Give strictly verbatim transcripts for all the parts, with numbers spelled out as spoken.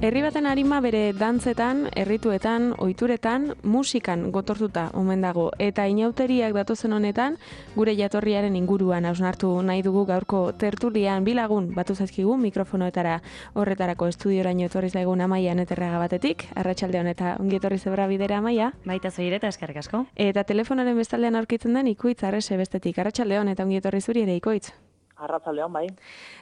Herri baten arima bere dantzetan, errituetan, ohituretan, musikan gotortuta omen dago. Eta inauteriak datozen honetan, gure jatorriaren inguruan hausnartu nahi dugu gaurko tertulian bilagun batu zaizkigu mikrofonoetara horretarako estudioraino etorri zaigun Amaia Neterraga batetik. Arratsalde on eta ongi etorri zebra bidera, Amaia. Baita zoire eta eskerrik asko. Eta telefonaren bestaldean aurkitzen den Ikoitz Arrese bestetik. Arratsalde on eta ongi etorri zuri ere, Ikoitz. Arratsaldeon, bai.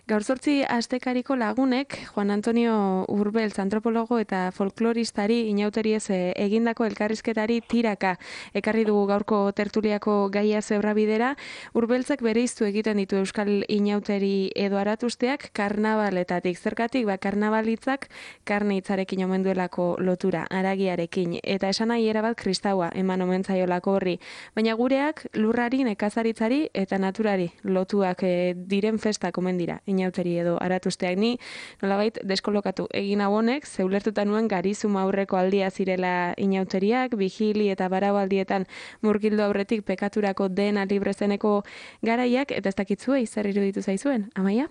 Gaur zortzi astekariko lagunek, Juan Antonio Urbeltz antropologo eta folkloristari inauteriez egindako elkarrizketari tiraka ekarri dugu gaurko tertuliako gaia zebrabidera. Urbeltzek bereiztu egiten ditu euskal inauteri edo aratusteak karnabaletatik. Zergatik, ba, karnabalitzak karne hitzarekin omen duelako lotura, haragiarekin, eta esan nahi erabat kristaua eman omen zaiolako horri. Baina gureak lurrari, nekazaritzari eta naturari lotuak e, diren festak omen dira, inauteri edo aratusteak. Ni nolabait deskolokatu egin hau honek, zeulertuta nuen garizuma aurreko aldia zirela inauteriak, vigili eta barau aldietan murgildu aurretik pekaturako dena librezeneko garaiak, eta ez dakitzue zer iruditu zaizuen, Amaia?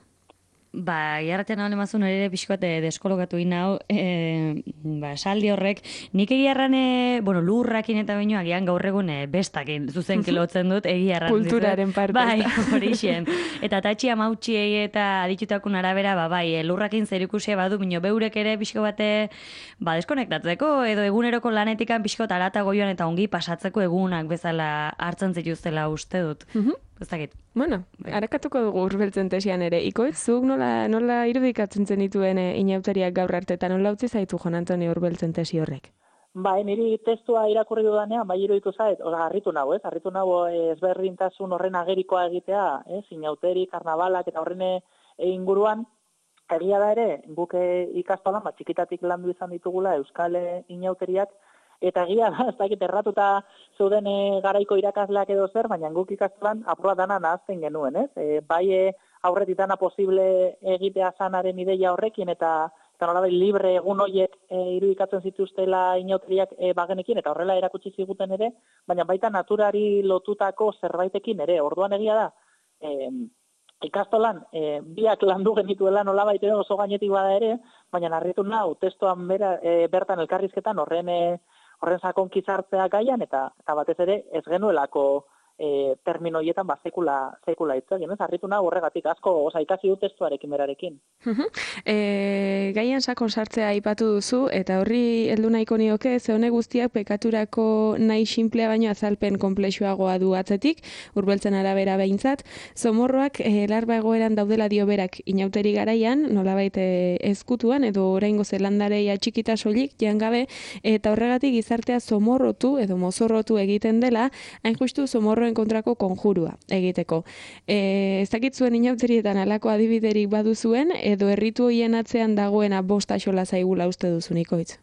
Ba, jarratean hau nemazun ere pixkoat deskolokatu inau, e, ba, saldi horrek, nik egiarran, e, bueno, lurrakin eta baino agian gaur egun e, bestakin zuzen kilotzen dut egiarran. Kulturaren parte. Bai, horixen. Eta tatxi amautxiei eta aditutakun arabera, ba, bai, e, lurrakin zerikusia badu, bino beurek ere pixko bate, ba, deskonektatzeko, edo eguneroko lanetikan pixko tarata goioan eta ongi pasatzeko egunak bezala hartzen zituztela uste dut. Mhm. Ez dakit. Bueno, harakatuko dugu Urbeltzen tesian ere. Ikoitz, zuk nola, nola irudikatzen zenituen e, inauteriak gaur arte, eta nola utzi zaitu Juan Antonio Urbeltzen tesi horrek? Bai, niri testua irakurri dudanean, bai iruditu zait, oza, harritu nago, ez? Harritu nago ezberdintasun horren agerikoa egitea, ez? Inauteri, karnabalak eta horren inguruan, egia da ere, guk ikastolan, bat txikitatik landu izan ditugula euskal inauteriak, eta egia da, ez dakit erratuta zeuden e, garaiko irakasleak edo zer, baina guk ikastolan aproba dana nahazten genuen, ez? E, bai e, aurretik dana posible egitea zanaren ideia horrekin, eta eta nolabait libre egun horiek e, irudikatzen zituztela inauteriak e, bagenekin, eta horrela erakutsi ziguten ere, baina baita naturari lotutako zerbaitekin ere. Orduan egia da, e, ikastolan e, biak landu genituela nolabait edo oso gainetik bada ere, baina harritu nau testuan bera, e, bertan elkarrizketan horren e, horren sakon kizartzea gaian, eta, eta batez ere ez genuelako e, termino hietan ba, sekula, sekula hitz egin, ez? Harritu nago horregatik asko, oza, ikasi dut testuarekin berarekin. e, gaian sakon sartzea aipatu duzu, eta horri heldu nahiko nioke, ze honek guztiak pekaturako nahi sinplea baino azalpen konplexuagoa du atzetik, Urbeltzen arabera behintzat, zomorroak e, larba egoeran daudela dio berak inauteri garaian, nolabait e, ezkutuan, edo oraingo zelandarei atxikita soilik, jangabe, eta horregatik gizartea zomorrotu edo mozorrotu egiten dela, hain justu zomorroen kontrako konjurua egiteko. E, ez dakit zuen inauterietan alako adibiderik baduzuen, edo erritu hoien atzean dagoena bost axola zaigula uste duzu, Ikoitz?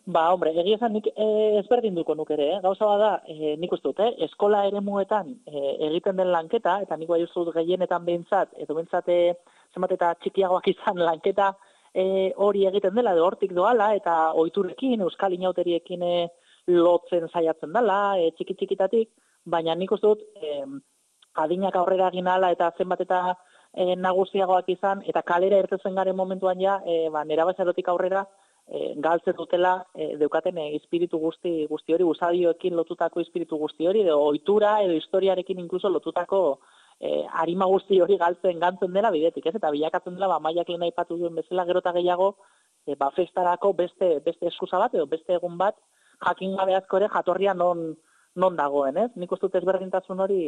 Ba, hombre, egia esan nik e, ezberdinduko nuk ere, eh? Gauza bada, e, nik uste dut, eh? Eskola eremuetan e, egiten den lanketa, eta nik bai uste dut gehienetan behintzat, edo behintzat e, zenbat eta txikiagoak izan lanketa e, hori egiten dela, edo hortik doala, eta ohiturekin, euskal inauteriekin e, lotzen saiatzen dela, e, txiki-txikitatik, baina nik uste dut, e, adinak aurrera egin ala eta zenbat eta e, nagusiagoak izan, eta kalera irtetzen garen momentuan ja, e, ba, nerabezarotik aurrera, e, galtzen dutela, e, deukaten e, espiritu guzti, guzti hori, usadioekin lotutako espiritu guzti hori, edo ohitura edo historiarekin inkluso lotutako e, arima guzti hori galtzen gantzen dela bidetik, ez? Eta bilakatzen dela, ba, Maiak lehen aipatu duen bezala gero eta gehiago, e, ba, festarako beste, beste eskusa bat, edo beste egun bat, jakin gabe asko ere jatorria non non dagoen, ez? Nik uste dut ezberdintasun hori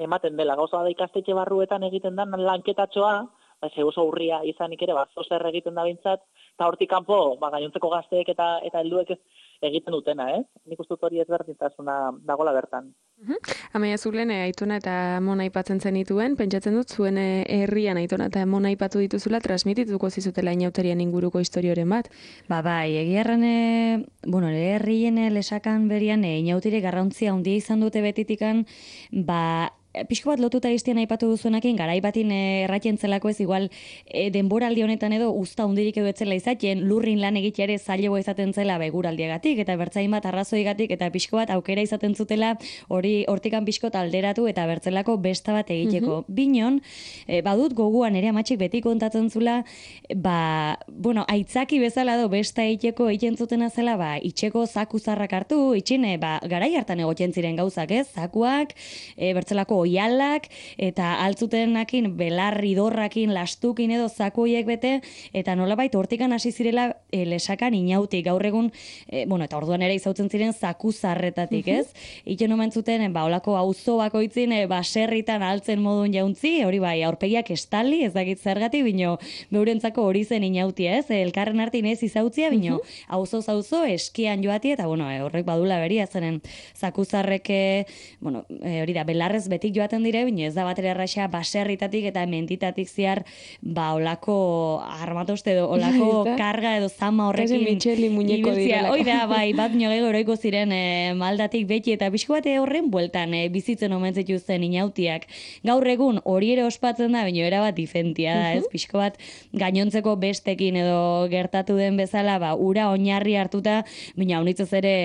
ematen dela. Gauza da ikastetxe barruetan egiten da lanketatxoa, ba, ze oso urria izanik ere, ba, zozer egiten da bintzat, eta hortik kanpo, ba, gainontzeko gazteek eta eta helduek egiten dutena, ez? Nik uste dut hori ezberdintasuna dagola bertan. Uh-huh. Amaia zulen, e, Aitona eta Amona aipatzen zenituen, pentsatzen dut zuen e, herrian Aitona eta Amona aipatu dituzula, transmitituko zizutela inauterien inguruko historioren bat. Ba, bai, egiarran, e, bueno, herrien lesakan berian, e, inautire garrantzia handia izan dute betitikan, ba, pixko bat lotuta iztien aipatu duzuenakin, garai batin erraten zelako ez, igual e, denboraldi honetan edo usta hundirik edo etzela izaten, lurrin lan egitea ere zailagoa izaten zela beguraldiagatik, eta bertzain bat arrazoigatik, eta pixko bat aukera izaten zutela hori hortikan pixko alderatu eta bertzelako besta bat egiteko. Mm-hmm. Binon, e, badut goguan ere amatxik beti kontatzen zula, ba, bueno, aitzaki bezala do besta egiteko egiten zutena zela, ba, itxeko zaku zarrak hartu, itxine, ba, garai hartan egotzen ziren gauzak, ez? Zakuak, e, bertzelako oialak, eta altzutenakin belarri dorrakin, lastukin edo zakuiek bete, eta nolabait hortikan hasi zirela e, lesakan inautik, gaur egun, e, bueno, eta orduan ere izautzen ziren zaku zarretatik, ez? Iten omen zuten, ba, olako auzo bakoitzin, e, baserritan altzen modun jauntzi, hori bai, aurpegiak estali, ez dakit zergatik, bino, beurentzako hori zen inautia, ez? E, elkarren artin ez izautzia, bino, auzo zauzo, eskian joati, eta, bueno, e, horrek badula beria, zenen zaku zarreke, bueno, e, hori da, belarrez beti joaten dire, bine ez da batera erraxa baserritatik eta mentitatik ziar ba olako armatoste edo olako karga edo zama horrekin Micheli muñeko direlako. Hoi da, bai, bat nioge oroiko ziren e, maldatik beti eta pixko bate horren bueltan e, bizitzen omentzetu zen inautiak. Gaur egun hori ere ospatzen da, baina erabat difentia da, ez? Pixko bat gainontzeko bestekin edo gertatu den bezala, ba, ura oinarri hartuta, baina haunitzez ere,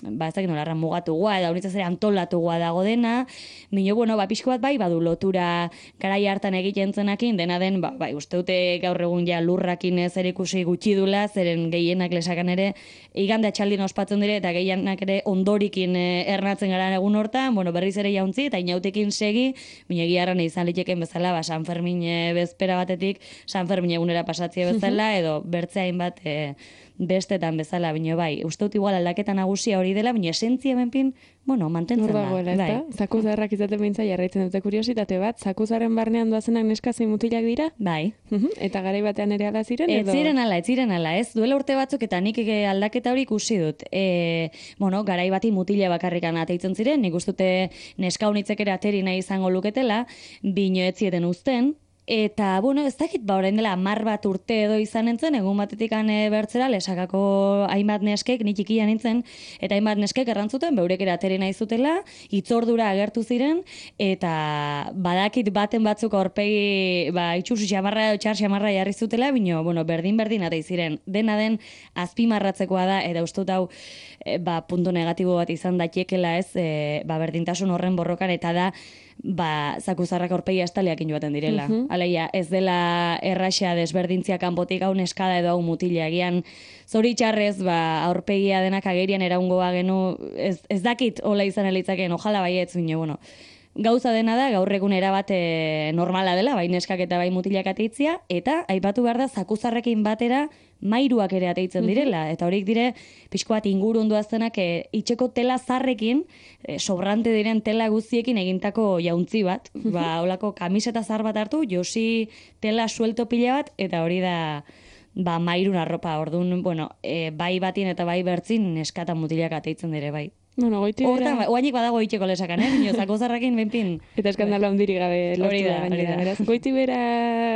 ba, ez dakit nolarra mugatugua, edo haunitzez ere antolatugua dago dena, baina, bueno, ba, pixko bat bai, badu lotura garai hartan egiten zenakin, dena den, ba, bai, uste dute gaur egun ja lurrakin zer ikusi gutxi dula, zeren gehienak lesakan ere, igande atxaldin ospatzen dire, eta gehienak ere ondorikin eh, ernatzen gara egun hortan, bueno, berriz ere jauntzi, eta inautekin segi, bine giarran izan liteken bezala, ba, San Fermin eh, bezpera batetik, San Fermin egunera pasatzea bezala, edo bertzeain bat eh, bestetan bezala, bino bai, uste dut igual aldaketa nagusia hori dela, bino esentzia benpin, bueno, mantentzen da. Dagoela, bai. Zakuzarrak izaten bintza jarraitzen dute kuriositate bat, zakuzarren barnean doazenak neska zein mutilak dira? Bai. Eta garai batean ere ala ziren? Ez ziren ala, ez ziren ala, ez. Duela urte batzuk eta nik aldaketa hori ikusi dut. E, bueno, garai bati mutila bakarrikan ateitzen ziren, nik ustute neska unitzek ere ateri nahi izango luketela, bino ez zieten uzten, eta, bueno, ez dakit, ba, orain dela hamar bat urte edo izan nintzen, egun batetik ane bertzera, lesakako hainbat neskek, nik ikia nintzen, eta hainbat neskek errantzuten, beurek ateri nahi zutela, itzordura agertu ziren, eta badakit baten batzuk aurpegi, ba, itxus xamarra, txar xamarra jarri zutela, bino, bueno, berdin-berdin atei ziren. Dena den, azpimarratzekoa da, eta ustut hau, e, ba, punto negatibo bat izan dakiekela ez, e, ba, berdintasun horren borrokan, eta da, ba, zakuzarrak aurpegia estaliakin joaten direla. Uh -huh. Aleia, ez dela erraxa desberdintzia kanpotik hau neskada edo hau mutila. Egian, zoritxarrez, ba, aurpegia denak agerian eraungoa genu, ez, ez dakit hola izan elitzakeen, ojala baietz, bine, bueno, gauza dena da, gaur egun erabat e, normala dela, bai neskak eta bai mutilak ateitzia, eta aipatu behar da zakuzarrekin batera mairuak ere ateitzen direla, eta horik dire, pixko bat ingurun duaztenak e, itxeko tela zarrekin, e, sobrante diren tela guztiekin egintako jauntzi bat, ba, holako kamiseta zar bat hartu, josi tela suelto pila bat, eta hori da, ba, mairun arropa, orduan, bueno, e, bai batin eta bai bertzin neskata mutilak ateitzen dire, bai. Bueno, goiti bera... Hortan, oainik badago itxeko lesakan, eh? Bino, zakozarrakin benpin. Eta eskandalo handiri gabe lortu da gainera. Goiti bera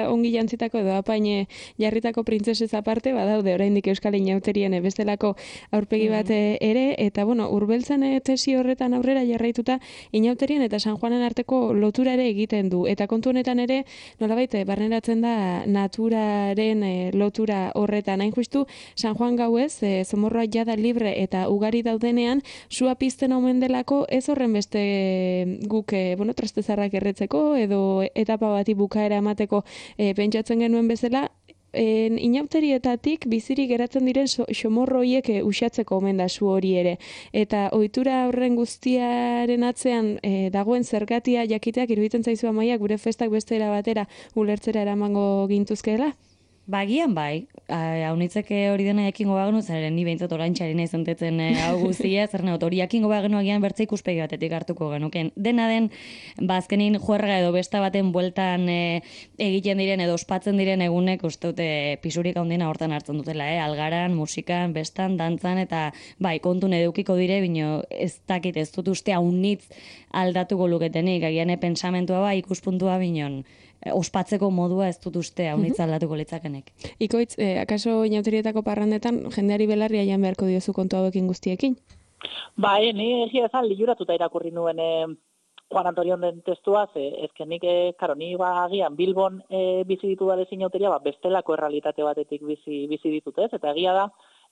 ongi jantzitako edo apaine jarritako printzesez aparte, badaude oraindik Euskal Inauterien bestelako aurpegi bat ere, eta bueno, Urbeltzan tesi horretan aurrera jarraituta Inauterien eta San Juanen arteko lotura ere egiten du. Eta kontu honetan ere, nolabait, barneratzen da naturaren lotura horretan. Hain justu, San Juan gauez, zomorroa jada libre eta ugari daudenean, sua pizten omen delako, ez horren beste guk, e, bueno, trastezarrak erretzeko, edo etapa bati bukaera emateko e, pentsatzen genuen bezala, en, inauterietatik bizirik geratzen diren so, xomorro horiek e, uxatzeko omen da su hori ere. Eta ohitura horren guztiaren atzean e, dagoen zergatia jakiteak iruditzen zaizu Amaia, gure festak bestera batera ulertzera eramango gintuzkeela? Bagian bai, haunitzeke hori dena jakingo bagenu, zeren ni behintzat orantxari nahi zentetzen hau guztia, zer neot, hori jakingo bagenu agian bertze ikuspegi batetik hartuko genuken. Dena den, bazkenin juerga edo besta baten bueltan e, egiten diren edo ospatzen diren egunek uste dute pisurik handina hortan hartzen dutela, eh? Algaran, musikan, bestan, dantzan, eta bai, kontun edukiko dire, bino ez dakit ez dut uste haunitz aldatuko luketenik, agian pensamentua bai, ikuspuntua binon, ospatzeko modua ez dut uste haunitz aldatuko litzakenek. Ikoitz, eh, akaso inauterietako parrandetan jendeari belarria jan beharko diozu kontu hauekin guztiekin? Bai, ni egia ezan liuratuta irakurri nuen e, Juan Antonio den testua, ze, ezken nik, e, karo, ni ba, agian Bilbon e, bizi ditu da inauteria, ba, bestelako errealitate batetik bizi, bizi ditut, ez? Eta egia da,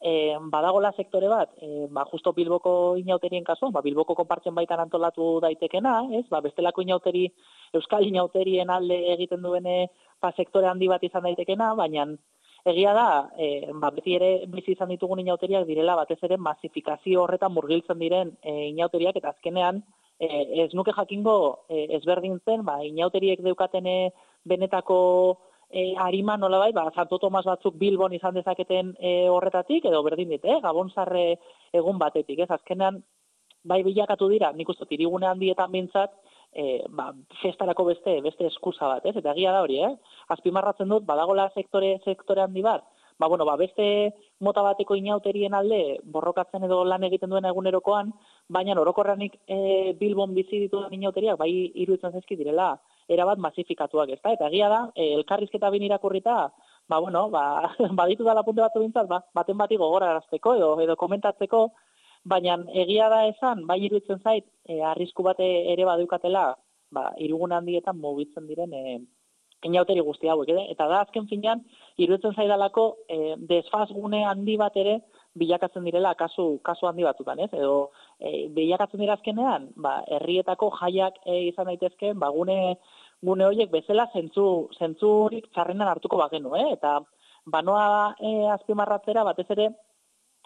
e, badagola sektore bat, e, ba, justo Bilboko inauterien kasuan, ba, Bilboko konpartzen baitan antolatu daitekena, ez? Ba, bestelako inauteri, Euskal inauterien alde egiten duene, ba, sektore handi bat izan daitekena, baina egia da, e, ba, beti ere bizi izan ditugun inauteriak direla, batez ere masifikazio horretan murgiltzen diren e, inauteriak, eta azkenean, e, ez nuke jakingo e, ezberdintzen, ba, inauteriek deukatene benetako E, harima nolabait, ba, Santo Tomas batzuk Bilbon izan dezaketen e, horretatik, edo berdin dit, eh? Gabonzarre egun batetik, ez? Azkenean, bai bilakatu dira, nik uste irigune handietan bintzat, e, ba, festarako beste, beste eskusa bat, ez? Eta egia da hori, eh? Azpimarratzen dut, badagola sektore, sektore handi bat, ba, bueno, ba, beste mota bateko inauterien alde borrokatzen edo lan egiten duen egunerokoan, baina orokorranik e, Bilbon bizi dituen inauteriak, bai iruditzen zaizki direla, erabat masifikatuak, ezta? Eta egia da, e, elkarrizketa bin irakurrita, ba, bueno, ba, baditu dala punte batzu bintzat, ba, baten bati gogorarazteko edo, edo komentatzeko, baina egia da esan, bai iruditzen zait, e, arrisku bate ere badeukatela, ba, irugun handietan mugitzen diren e, inauteri guzti hauek, ere? Eta da, azken finean, iruditzen zaidalako e, desfasgune handi bat ere bilakatzen direla kasu, kasu handi batzutan, ez? Edo e, bilakatzen dira azkenean, ba, herrietako jaiak e, izan daitezkeen, ba, gune, gune horiek bezala zentzu, zentzurik txarrenan hartuko bagenu, eh? Eta banoa e, azpimarratzera batez ere,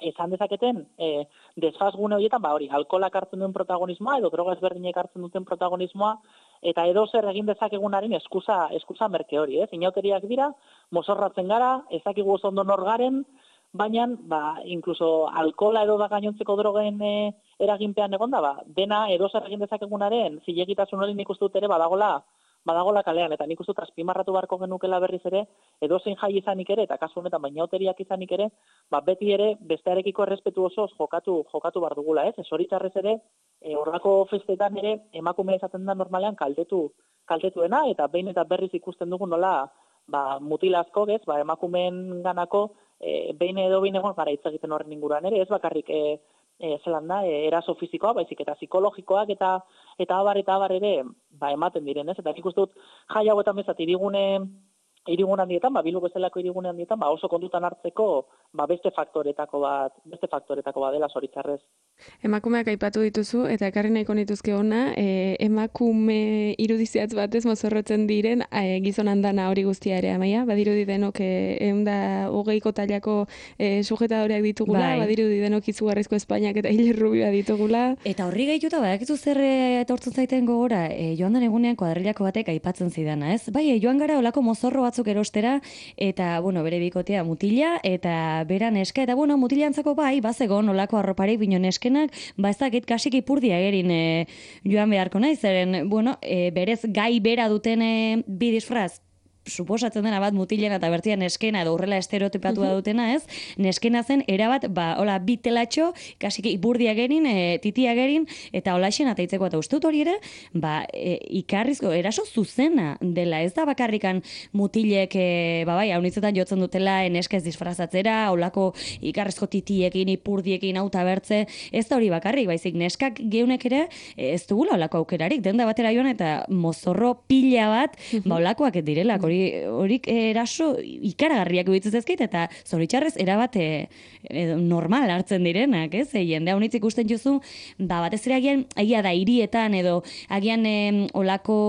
izan dezaketen, e, desfasgune horietan, ba hori, alkolak hartzen duen protagonismoa, edo droga ezberdinek hartzen duten protagonismoa, eta edo zer egin dezakegunaren eskusa, eskusa merke hori, ez? Inauteriak dira, mozorratzen gara, ezakigu oso ondo nor garen, baina, ba, inkluso alkola edo da gainontzeko drogen e, eraginpean egonda, ba, dena edo zer egin dezakegunaren zilegitasun hori nik uste dut ere badagola, badagola kalean, eta nik uste dut azpimarratu beharko genukela berriz ere, edo zein jai izanik ere, eta kasu honetan bainauteriak izanik ere, ba, beti ere bestearekiko errespetu osoz jokatu, jokatu bar dugula, ez? Ez horitzarrez ere, e, horrako festetan ere, emakumea izaten da normalean kaltetu, kaltetuena, eta behin eta berriz ikusten dugu nola, ba, mutilazko, ez, ba, emakumeen ganako, e, behin edo behin egon gara hitz egiten horren inguruan ere, ez bakarrik, e, e, zelan da, e, eraso fizikoa, baizik eta psikologikoak eta eta abar eta abar ere, ba, ematen diren, ez? Eta nik uste dut jai hauetan bezat irigune irigun handietan, ba, Bilbo bezalako irigune handietan, ba, oso kontutan hartzeko, ba, beste faktoretako bat, beste faktoretako bat dela zoritzarrez. Emakumeak aipatu dituzu, eta ekarri nahiko nituzke ona, e, emakume irudiziatz batez mozorrotzen diren e, gizon handana hori guztia ere, amaia? Badirudi denok e, eunda hogeiko tailako e, sujetadoreak ditugula, bai. Badirudi denok izugarrizko Espainiak eta Ile Rubioa ditugula. Eta horri gehituta, badakizu zer etortzen zaiten gogora, e, joan den egunean kuadrilako batek aipatzen zidana, ez? Bai, e, joan gara olako mozorro batzuk erostera, eta, bueno, bere bikotea mutila, eta bera neska, eta, bueno, mutilantzako bai, bazegon olako arroparik bino neskenak, ba ez dakit kasik ipurdia egerin e, joan beharko nahi, zeren, bueno, e, berez gai bera duten e, bi disfraz, suposatzen dena bat mutilena eta bertia neskena edo horrela estereotipatua dutena, ez? Neskena zen erabat, ba, hola, bi telatxo, kasik ipurdia gerin, e, titia gerin, eta holaxen ataitzeko eta ustut hori ere, ba, e, ikarrizko, eraso zuzena dela, ez da bakarrikan mutilek, e, ba, bai, haunitzetan jotzen dutela, neska ez disfrazatzera, holako ikarrizko titiekin, ipurdiekin, auta bertze, ez da hori bakarrik, baizik, neskak geunek ere, ez dugula holako aukerarik, denda batera joan eta mozorro pila bat, ba, holakoak direlak, hori horik eraso ikaragarriak bitzez ezkait, eta zoritxarrez erabat e, e, normal hartzen direnak, ez? E, jende haunitz ikusten jozu, ba, batez ere agian, agia da hirietan edo agian e, olako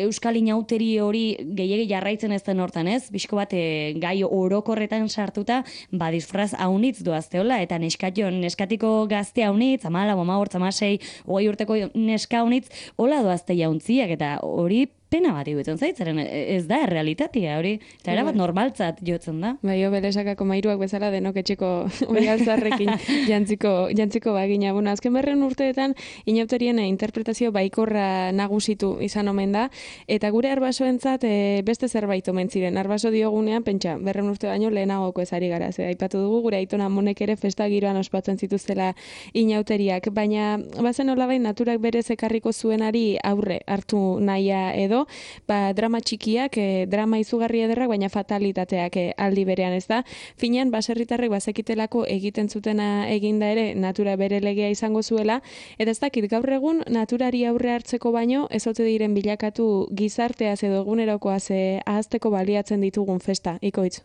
euskal inauteri hori gehiegi jarraitzen ez den hortan, ez? Bizko bat e, gai orokorretan sartuta, ba, disfraz haunitz doazteola, eta neskatio, neskatiko gazte haunitz, amala, boma hor, tamasei, hogei urteko neska haunitz, hola doazte jauntziak, eta hori pena bat iruditzen zaitzaren, ez da errealitatea hori, eta erabat normaltzat jotzen da. Bai, obelesakako mairuak bezala denok etxeko oialtzarrekin jantziko, jantziko bagina. Bueno, azken berren urteetan inauterien interpretazio baikorra nagusitu izan omen da, eta gure arbasoentzat e, beste zerbait omen ziren. Arbaso diogunean, pentsa, berren urte baino lehenagoko ezari gara. Ze aipatu dugu, gure aitona monek ere festa giroan ospatzen zituztela inauteriak, baina bazen olabait naturak berez ekarriko zuenari aurre hartu nahia edo, edo, ba, drama txikiak, e, drama izugarri ederrak, baina fatalitateak e, aldi berean, ez da? Finean, baserritarrek bazekitelako egiten zutena eginda ere, natura bere legea izango zuela, eta ez dakit, gaur egun, naturari aurre hartzeko baino, ez ote diren bilakatu gizarteaz edo egunerokoaz e, ahazteko baliatzen ditugun festa, Ikoitz?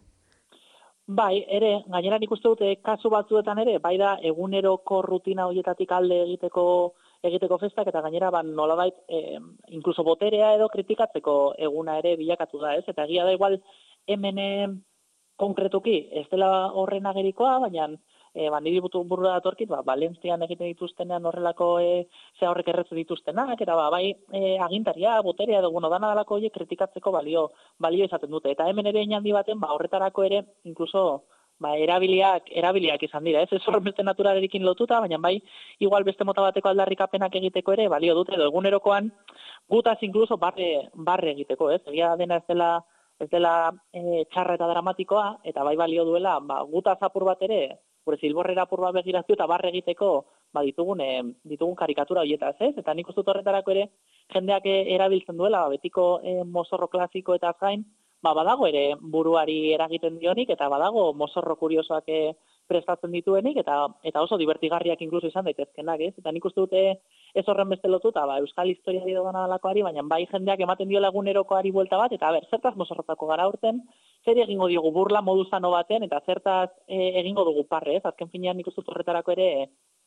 Bai, ere, gainera nik uste dute kasu batzuetan ere, bai da eguneroko rutina horietatik alde egiteko egiteko festak, eta gainera ban nolabait e, inkluso boterea edo kritikatzeko eguna ere bilakatu da, ez? Eta egia da igual hemen konkretuki ez dela horren agerikoa, baina e, ba, niri burura datorkit, ba, Valentzian egiten dituztenean horrelako e, ze horrek erretzen dituztenak, eta ba, bai e, agintaria, boterea edo bueno, dana dalako horiek kritikatzeko balio, balio izaten dute. Eta hemen ere inaldi baten, ba, horretarako ere, inkluso ba, erabiliak, erabiliak izan dira, ez? Ez horren beste naturalerekin lotuta, baina bai, igual beste mota bateko aldarrikapenak egiteko ere, balio dute, edo egunerokoan, gutaz inkluso barre, barre egiteko, ez? Egia dena ez dela, ez dela e, txarra eta dramatikoa, eta bai balio duela, ba, gutaz apur bat ere, gure zilborrera apur bat begiratu eta barre egiteko, ba, ditugun, e, ditugun karikatura horietaz, ez? Eta nik uste dut horretarako ere, jendeak erabiltzen duela, ba, betiko e, mozorro klasiko eta gain, ba, badago ere buruari eragiten dionik, eta badago mozorro kuriosoak e, prestatzen dituenik, eta eta oso divertigarriak inkluso izan daitezkenak, ez? Eta nik uste dute ez horren beste lotuta, ba, euskal historiari edo dana dalakoari, baina bai jendeak ematen diola egunerokoari buelta bat, eta ber, zertaz mozorrotako gara urten, zer egingo diogu burla modu zano baten, eta zertaz e, egingo dugu parre, ez? Azken finean nik uste dut horretarako ere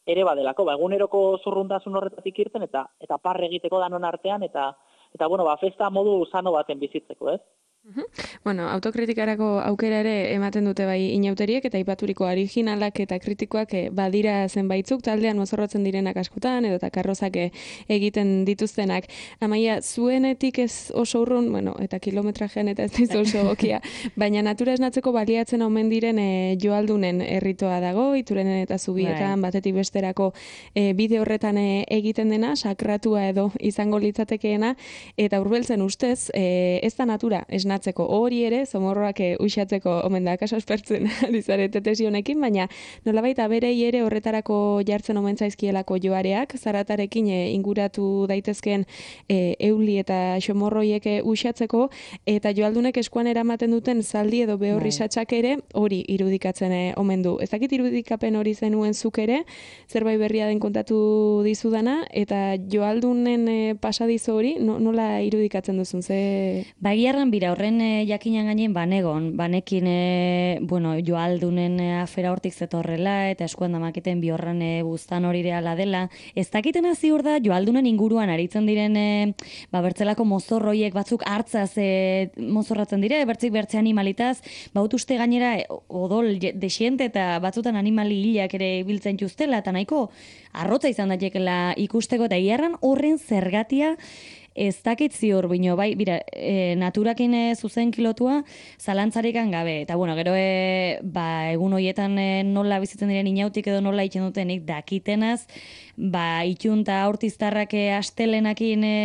ere badelako, ba, eguneroko zurruntasun horretatik irten, eta eta parre egiteko danon artean, eta eta bueno, ba, festa modu sano baten bizitzeko, ez? Uh-huh. Bueno, autokritikarako aukera ere ematen dute bai inauteriek eta aipaturiko originalak eta kritikoak e, badira zenbaitzuk taldean mozorrotzen direnak askotan edo eta karrozak e, egiten dituztenak. Amaia, zuenetik ez oso urrun, bueno, eta kilometrajean eta ez dizu oso gokia, baina natura esnatzeko baliatzen omen diren e, joaldunen erritoa dago, Iturenen eta Zubietan, bai. Batetik besterako e, bide horretan e, egiten dena, sakratua edo izango litzatekeena, eta Urbeltzen ustez, e, ez da natura esnatzeko hori ere, zomorroak uxatzeko omen da, kaso espertzen dizarete tesi honekin, baina nolabait aberei ere horretarako jartzen omen zaizkielako joareak, zaratarekin e, inguratu daitezkeen e, euli eta xomorroiek uxatzeko, eta joaldunek eskuan eramaten duten zaldi edo behorri satxak ere hori irudikatzen e, omen du. Ez dakit irudikapen hori zenuen zuk ere, zerbait berria den kontatu dizudana, eta joaldunen e, pasadizo hori nola irudikatzen duzun, ze... Bagiarran bira, horren e, jakinan gainen banegon, banekin e, bueno, joaldunen e, afera hortik zetorrela, eta eskuan damaketen bihorran e, buztan hori reala dela. Ez dakitena ziur da, joaldunen inguruan aritzen diren, e, ba, bertzelako mozorroiek batzuk hartzaz e, mozorratzen dire, bertzik bertze animalitaz, baut uste gainera e, odol desiente eta batzutan animali hilak ere biltzen justela, eta nahiko arrotza izan datekela ikusteko, eta hiarran horren zergatia ez dakit ziur, bino, bai, bira, e, naturakin e, zuzen kilotua, zalantzarikan gabe. Eta, bueno, gero, e, ba, egun horietan e, nola bizitzen diren inautik edo nola itxen dutenik dakitenaz, ba, itxun eta aurtiztarrak e, astelenakin e,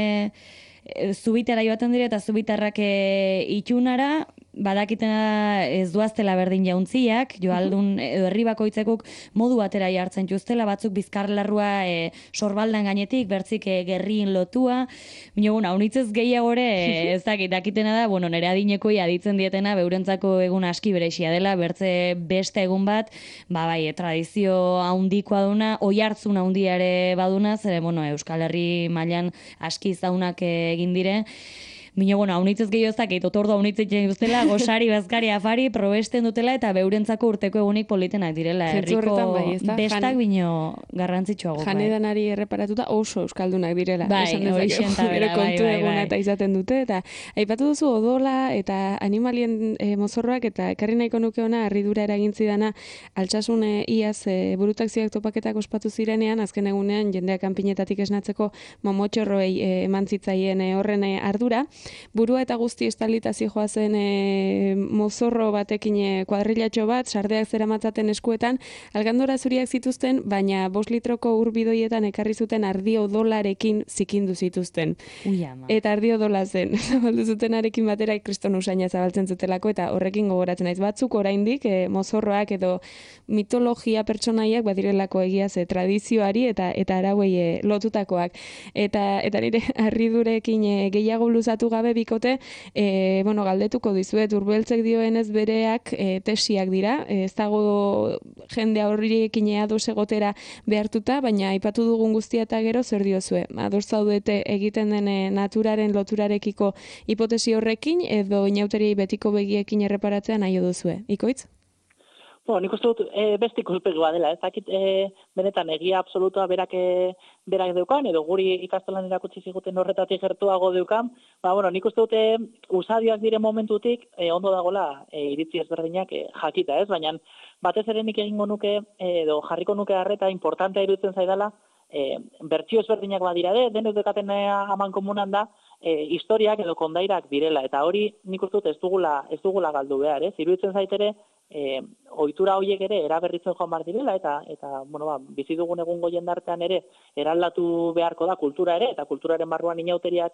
e, zubitara joaten dire, eta zubitarrak e, itxunara, badakitena ez duaztela berdin jauntziak, joaldun edo herri bakoitzekuk modu batera jartzen justela, batzuk bizkarlarrua e, sorbaldan gainetik, bertzik e, gerrien lotua, bino, bueno, haunitzez gehiagore, e, ez dakit, dakitena da, bueno, nire adinekoi aditzen dietena, beurentzako egun aski berexia dela, bertze beste egun bat, ba, bai, e, tradizio haundikoa duna, oi hartzun haundiare baduna, zere, bueno, Euskal Herri mailan aski zaunak egin dire, Bino, bueno, haunitzez gehiozak, eito tordo haunitzen dutela, gosari, bazkari, afari, probesten dutela, eta beurentzako urteko egunik politenak direla. Herriko bai, bestak bino garrantzitsuago. Janedanari erreparatuta oso euskaldunak direla. Bai, hori xentabera, bai, kontu bai, eguna bai. eta izaten dute, eta aipatu duzu odola eta animalien e, mozorroak, eta ekarri nahiko nuke ona harridura eragintzidana altsasun e, iaz e, burutakzioak topaketak ospatu zirenean, azken egunean jendeak kanpinetatik esnatzeko mamotxorroei e, eman zitzaien e, horren e, ardura. Burua eta guzti estalita zijoazen e, mozorro batekin e, kuadrilatxo bat, sardeak zeramatzaten eskuetan, algandora zuriak zituzten, baina bost litroko urbidoietan ekarri zuten ardi odolarekin zikindu zituzten. Ui, ama. Eta ardi odola zen, zabaldu zutenarekin batera kriston usaina zabaltzen zutelako, eta horrekin gogoratzen naiz batzuk oraindik e, mozorroak edo mitologia pertsonaiak badirelako egia ze tradizioari eta eta arauei e, lotutakoak. Eta, eta nire harridurekin e, gehiago luzatu gabe bikote, e, bueno, galdetuko dizuet, Urbeltzek dioenez bereak e, tesiak dira, ez dago jende horrekin ados egotera behartuta, baina aipatu dugun guztia eta gero zer diozue? Ados zaudete egiten den naturaren loturarekiko hipotesi horrekin, edo inauteriei betiko begiekin erreparatzea nahi duzue? Ikoitz? Bueno, nik uste dut e, beste ikuspegua dela, ez dakit e, benetan egia absolutua berak, e, berak deukan, edo guri ikastolan erakutsi ziguten horretatik gertuago deukan, ba, bueno, nik uste dut e, usadioak diren momentutik e, ondo dagoela e, iritzi ezberdinak e, jakita, ez? Baina batez ere nik egingo nuke, e, edo jarriko nuke harreta importantea iruditzen zaidala, e, bertsio ezberdinak badira de, denez dekaten aman komunan da, e, historiak edo kondairak direla, eta hori nik uste dut ez dugula, ez dugula galdu behar, ez? Iruditzen zaitere, E, ohitura horiek ere eraberritzen joan behar direla, eta, eta bueno, ba, bizi dugun egungo jendartean ere eraldatu beharko da kultura ere, eta kulturaren barruan inauteriak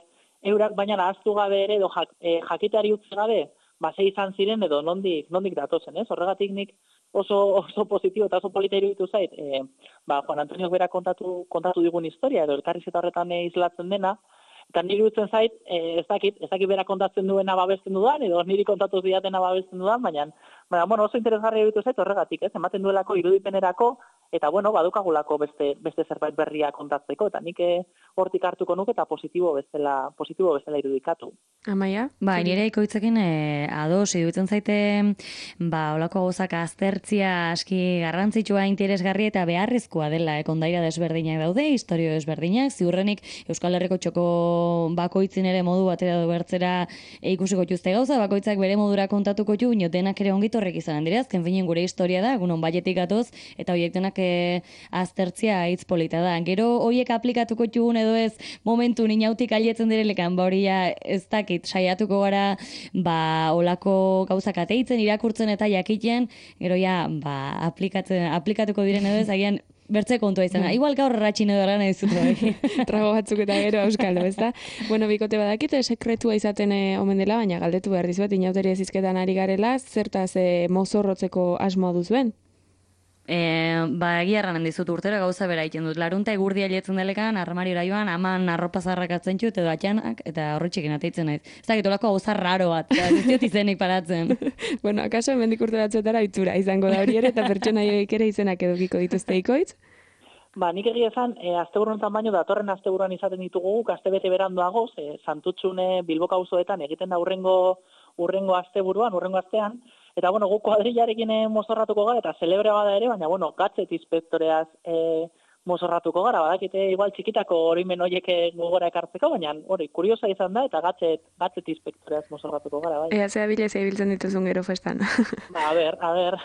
eurak, baina ahaztu gabe ere, edo jak, e, jakiteari utzi gabe, ba, ze izan ziren edo nondik, nondik datozen, ez? Horregatik nik oso, oso positibo eta oso polita iruditu zait, e, ba, Juan Antonio berak kontatu, kontatu digun historia, edo elkarrizketa horretan e, islatzen dena, eta niri iruditzen zait, e, ez dakit, ez dakit berak kontatzen duena babesten dudan, edo niri kontatu diatena babesten dudan, baina, baina bueno, oso interesgarria iruditu zait horregatik, ez, ematen duelako irudipenerako, eta bueno, badukagulako beste, beste zerbait berria kontatzeko, eta nik hortik hartuko nuke eta positibo bezala, positibo bezala irudikatu. Amaia? Ba, nire ikoitzekin e, ados, iruditzen zaite, ba, olako gauzak aztertzia aski garrantzitsua, interesgarria eta beharrezkoa dela, e, kondaira desberdinak daude, historio desberdinak, ziurrenik Euskal Herriko txoko bakoitzin ere modu batera du bertzera e, ikusiko txuzte gauza, bakoitzak bere modura kontatuko txu, bino denak ere ongitorrek izan dira, azken finen gure historia da, egunon baietik gatoz, eta horiek denak e, aztertzia hitz polita da. Gero horiek aplikatuko txugun edo ez momentu inautik alietzen direlekan, ba hori ez dakit, saiatuko gara, ba, olako gauzak ateitzen, irakurtzen eta jakiten, gero ja, ba, aplikatzen, aplikatuko diren edo ez, agian, bertze kontua izan. Mm. Igual gaur ratxin edo gara nahi zutu. Trago batzuk eta gero euskalo, ez da? Bueno, bikote badakite sekretua izaten e, omen dela, baina galdetu behar dizuet, inauteri ezizketan ari garela, zertaz e, mozorrotzeko asmoa duzuen? E, ba, egia erranen dizut urtero gauza bera egiten dut. Larunta egurdia lietzen delekan, armarira joan, aman arropa zarrak atzen txut, edo atxanak, eta horretxekin ateitzen naiz. Ez dakit olako gauza raro bat, eta ez diot izenik paratzen. Bueno, akaso hemendik urte batzuetara itxura izango da hori ere, eta pertsonaiek ere izenak edukiko dituzte ikoitz? Ba, nik egia esan, e, asteburu honetan baino, datorren asteburuan izaten ditugu, astebete beranduago, e, Santutxune Bilboka auzoetan egiten da urrengo, urrengo asteburuan, urrengo astean, eta bueno, gu kuadrillarekin mozorratuko gara, eta celebre bada ere, baina bueno, Gatset inspektoreaz e, mozorratuko gara, badakite igual txikitako oroimen horiek gogora ekartzeko, baina hori, kuriosa izan da, eta Gatset, Gatset inspektoreaz mozorratuko gara, bai. Ea, zea bilez ibiltzen dituzun gero festan. Ba, a ber, a ber.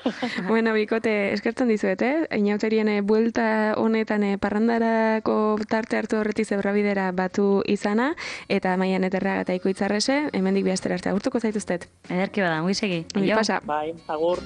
Bueno, bikote, eskertzen dizuet, eh? Inauterien buelta honetan eh, parrandarako tarte hartu horretik zebrabidera batu izana, eta Maian Eterraga eta Ikoitz Arrese, hemendik bihaztera arte agurtuko zaituztet. Ederki bada, mugisegi. Ongi pasa. Bai, agur.